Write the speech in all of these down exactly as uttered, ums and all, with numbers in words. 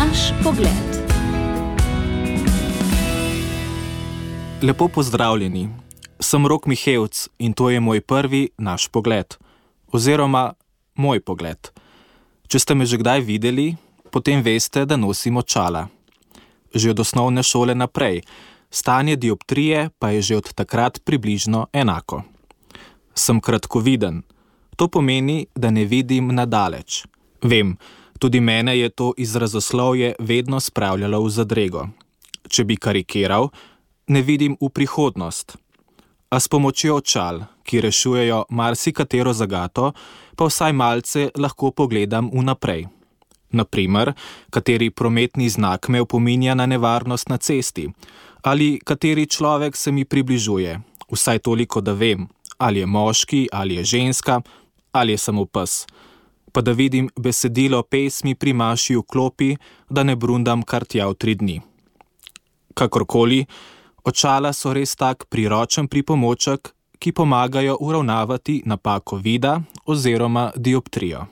Naš pogled. Lepo pozdravljeni. Sem Rok Mihevc in to je moj prvi Naš pogled. Oziroma moj pogled. Če ste me že kdaj videli, potem veste, da nosim očala. Že od osnovne šole naprej. Stanje dioptrije pa je že od takrat približno enako. Sem kratkoviden. To pomeni, da ne vidim nadaleč. Vem, tudi mene je to izrazoslovje vedno spravljalo v zadrego. Če bi karikiral, ne vidim v prihodnost. A s pomočjo očal, ki rešujejo marsikatero zagato, pa vsaj malce lahko pogledam vnaprej. Naprimer, kateri prometni znak me opominja na nevarnost na cesti, ali kateri človek se mi približuje, vsaj toliko, da vem, ali je moški, ali je ženska, ali je samo pes, pa da vidim besedilo pesmi pri maši v klopi, da ne brundam kar tja v tri dni. Kakorkoli, očala so res tak priročen pripomoček, ki pomagajo uravnavati napako vida oziroma dioptrijo.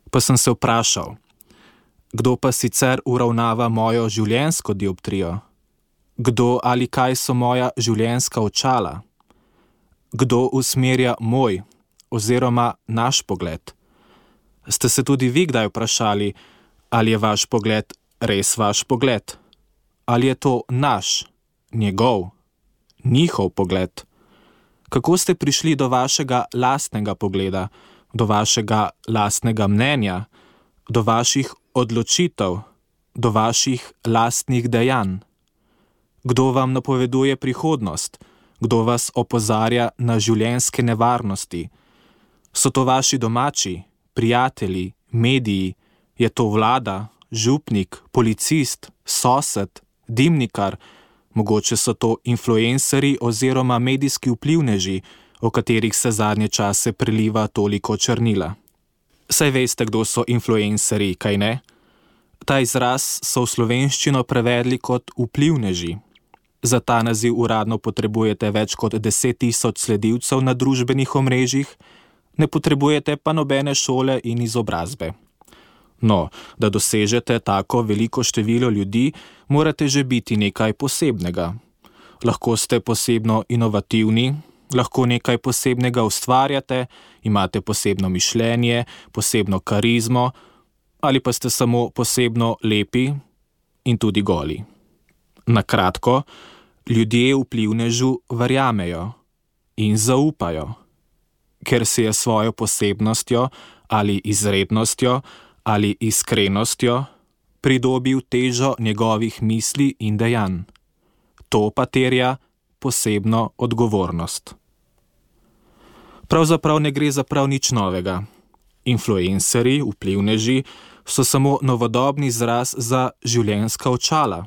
Pa sem se vprašal, kdo pa sicer uravnava mojo življenjsko dioptrijo? Kdo ali kaj so moja življenjska očala? Kdo usmerja moj oziroma naš pogled? Ste se tudi vi kdaj vprašali, ali je vaš pogled res vaš pogled? Ali je to naš, njegov, njihov pogled? Kako ste prišli do vašega lastnega pogleda, do vašega lastnega mnenja, do vaših odločitev, do vaših lastnih dejanj? Kdo vam napoveduje prihodnost? Kdo vas opozarja na življenjske nevarnosti? So to vaši domači, prijatelji, mediji? Je to vlada, župnik, policist, sosed, dimnikar? Mogoče so to influencerji oziroma medijski vplivneži, o katerih se zadnje čase preliva toliko črnila. Saj veste, kdo so influencerji, kaj ne? Ta izraz so v slovenščino prevedli kot vplivneži. Za ta naziv uradno potrebujete več kot deset tisoč sledilcev na družbenih omrežjih, ne potrebujete pa nobene šole in izobrazbe. No, da dosežete tako veliko število ljudi, morate že biti nekaj posebnega. Lahko ste posebno inovativni, lahko nekaj posebnega ustvarjate, imate posebno mišljenje, posebno karizmo, ali pa ste samo posebno lepi in tudi goli. Na kratko, ljudje vplivnežu verjamejo in zaupajo, ker si je svojo posebnostjo ali izrednostjo ali iskrenostjo pridobil težo njegovih misli in dejanj. To pa terja posebno odgovornost. Pravzaprav ne gre za prav nič novega. Influencerji, vplivneži, so samo novodobni izraz za življenjska očala.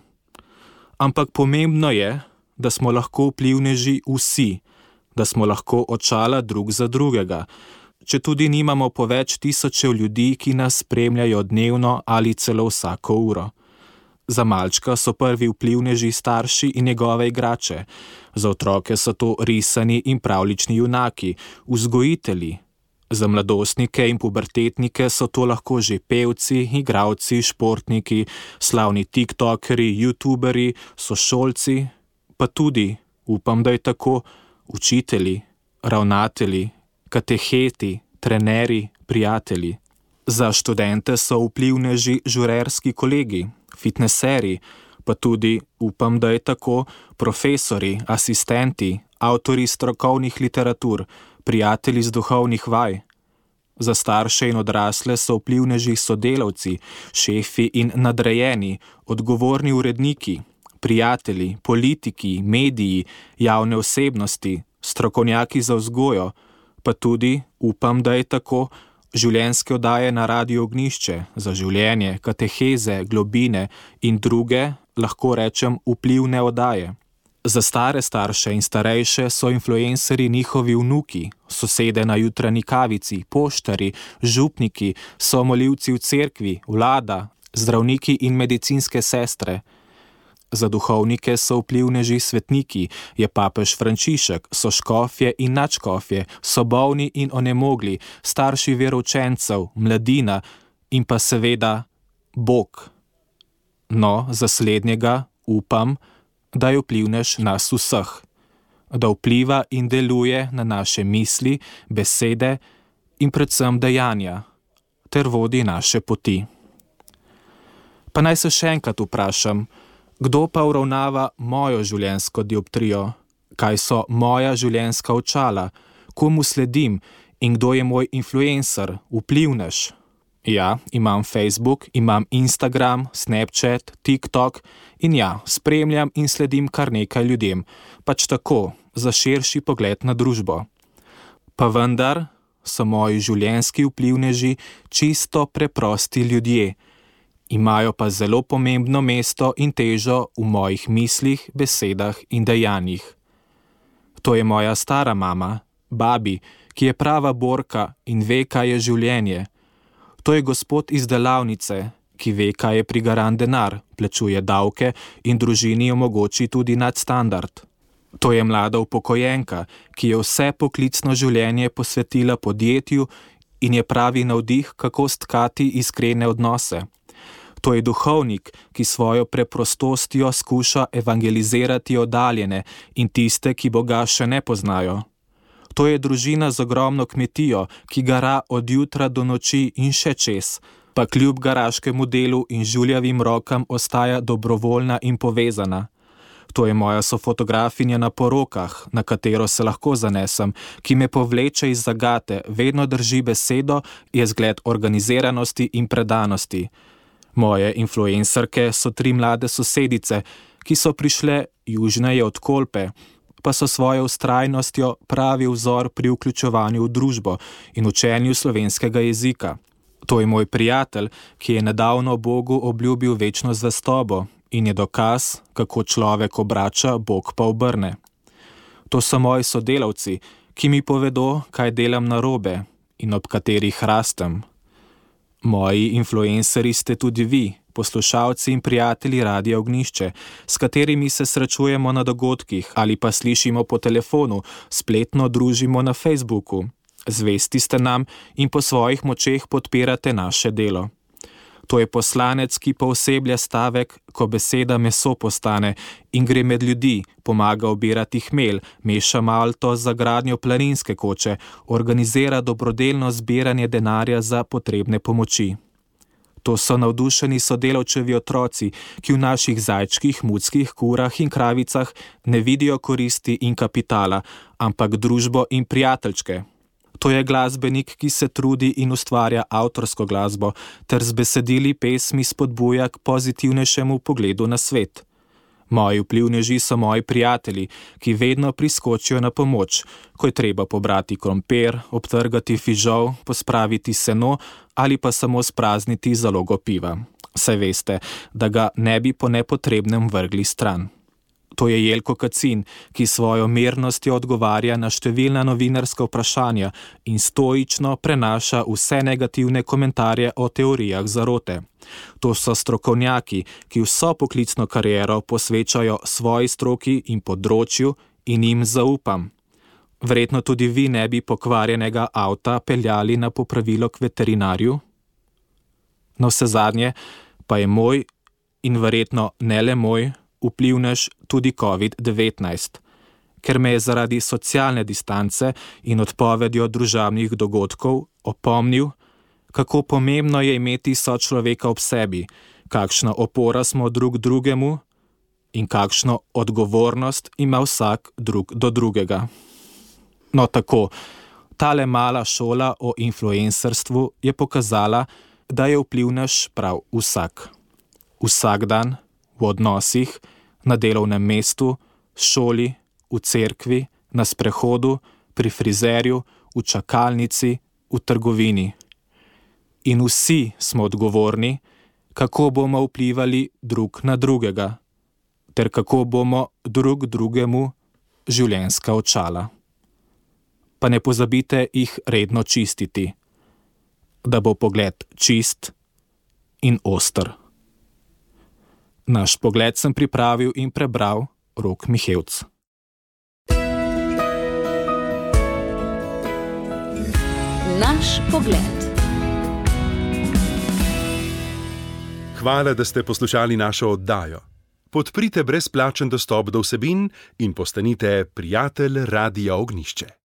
Ampak pomembno je, da smo lahko vplivneži vsi, da smo lahko očala drug za drugega, če tudi nimamo po več tisočev ljudi, ki nas spremljajo dnevno ali celo vsako uro. Za malčka so prvi vplivneži starši in njegove igrače, za otroke so to risani in pravljični junaki, vzgojitelji. Za mladostnike in pubertetnike so to lahko že pevci, igralci, športniki, slavni tiktokeri, youtuberi, sošolci, pa tudi, upam, da je tako, učitelji, ravnatelji, kateheti, trenerji, prijatelji. Za študente so vplivneži žurerski kolegi, fitneseri, pa tudi, upam, da je tako, profesori, asistenti, avtori strokovnih literatur, prijatelji z duhovnih vaj. Za starše in odrasle so vplivneži sodelavci, šefi in nadrejeni, odgovorni uredniki, prijatelji, politiki, mediji, javne osebnosti, strokovnjaki za vzgojo, pa tudi, upam, da je tako, življenjske oddaje na Radiu Ognjišče, za življenje, kateheze, globine in druge, lahko rečem, vplivne oddaje. Za stare starše in starejše so influencerji njihovi vnuki, sosede na jutranji kavici, poštarji, župniki, so molilci v cerkvi, vlada, zdravniki in medicinske sestre. Za duhovnike so vplivneži svetniki, je papež Frančišek, so škofje in nadškofje, so bolni in onemogli, starši veroučencev, mladina in pa seveda Bog. No, za slednjega upam, da je vplivnež nas vseh, da vpliva in deluje na naše misli, besede in predvsem dejanja, ter vodi naše poti. Pa naj se še enkrat vprašam, kdo pa uravnava mojo življenjsko dioptrijo, kaj so moja življenjska očala, komu sledim in kdo je moj influencer, vplivnež. Ja, imam Facebook, imam Instagram, Snapchat, TikTok in ja, spremljam in sledim kar nekaj ljudem, pač tako, za širši pogled na družbo. Pa vendar so moji življenjski vplivneži čisto preprosti ljudje, imajo pa zelo pomembno mesto in težo v mojih mislih, besedah in dejanjih. To je moja stara mama, babi, ki je prava borka in ve, kaj je življenje. To je gospod iz delavnice, ki ve, kaj je prigaran denar, plačuje davke in družini omogoči tudi nadstandard. To je mlada upokojenka, ki je vse poklicno življenje posvetila podjetju in je pravi navdih, kako stkati iskrene odnose. To je duhovnik, ki svojo preprostostjo skuša evangelizirati oddaljene in tiste, ki Boga še ne poznajo. To je družina z ogromno kmetijo, ki gara od jutra do noči in še čez, pa kljub garaškemu delu in žuljavim rokam ostaja dobrovoljna in povezana. To je moja sofotografinja na porokah, na katero se lahko zanesem, ki me povleče iz zagate, vedno drži besedo, je zgled organiziranosti in predanosti. Moje influencerke so tri mlade sosedice, ki so prišle južneje od Kolpe, pa so svojo vztrajnostjo pravi vzor pri vključevanju v družbo in učenju slovenskega jezika. To je moj prijatelj, ki je nedavno Bogu obljubil večno zvestobo in je dokaz, kako človek obrača, Bog pa obrne. To so moji sodelavci, ki mi povedo, kaj delam narobe in ob katerih rastem. Moji influencerji ste tudi vi, poslušalci in prijatelji Radia Ognjišče, s katerimi se srečujemo na dogodkih ali pa slišimo po telefonu, spletno družimo na Facebooku. Zvesti ste nam in po svojih močeh podpirate naše delo. To je poslanec, ki pooseblja stavek, ko beseda meso postane in gre med ljudi, pomaga obirati hmelj, meša malto za gradnjo planinske koče, organizira dobrodelno zbiranje denarja za potrebne pomoči. To so navdušeni sodelavčevi otroci, ki v naših zajčkih, muckih, kurah in kravicah ne vidijo koristi in kapitala, ampak družbo in prijateljčke. To je glasbenik, ki se trudi in ustvarja avtorsko glasbo, ter z besedili pesmi spodbuja k pozitivnejšemu pogledu na svet. Moji vplivneži so moji prijatelji, ki vedno priskočijo na pomoč, ko je treba pobrati krompir, obtrgati fižol, pospraviti seno ali pa samo sprazniti zalogo piva. Saj veste, da ga ne bi po nepotrebnem vrgli stran. To je Jelko Kacin, ki svojo mirnostjo odgovarja na številna novinarska vprašanja in stoično prenaša vse negativne komentarje o teorijah zarote. To so strokovnjaki, ki vso poklicno kariero posvečajo svoji stroki in področju in jim zaupam. Verjetno tudi vi ne bi pokvarjenega avta peljali na popravilo k veterinarju? Na vse zadnje pa je moj in verjetno ne le moj vplivnež tudi covid devetnajst, ker me je zaradi socialne distance in odpovedjo družabnih dogodkov opomnil, kako pomembno je imeti sočloveka ob sebi, kakšna opora smo drug drugemu in kakšno odgovornost ima vsak drug do drugega. No tako, tale mala šola o influencerstvu je pokazala, da je vplivnež prav vsak. Vsak dan, v odnosih, na delovnem mestu, šoli, v cerkvi, na sprehodu, pri frizerju, v čakalnici, v trgovini. In vsi smo odgovorni, kako bomo vplivali drug na drugega, ter kako bomo drug drugemu življenjska očala. Pa ne pozabite jih redno čistiti, da bo pogled čist in oster. Naš pogled sem pripravil in prebral Rok Mihevc. Naš pogled. Hvala, da ste poslušali našo oddajo. Podprite brezplačen dostop do vsebin in postanite prijatelj Radia Ognjišče.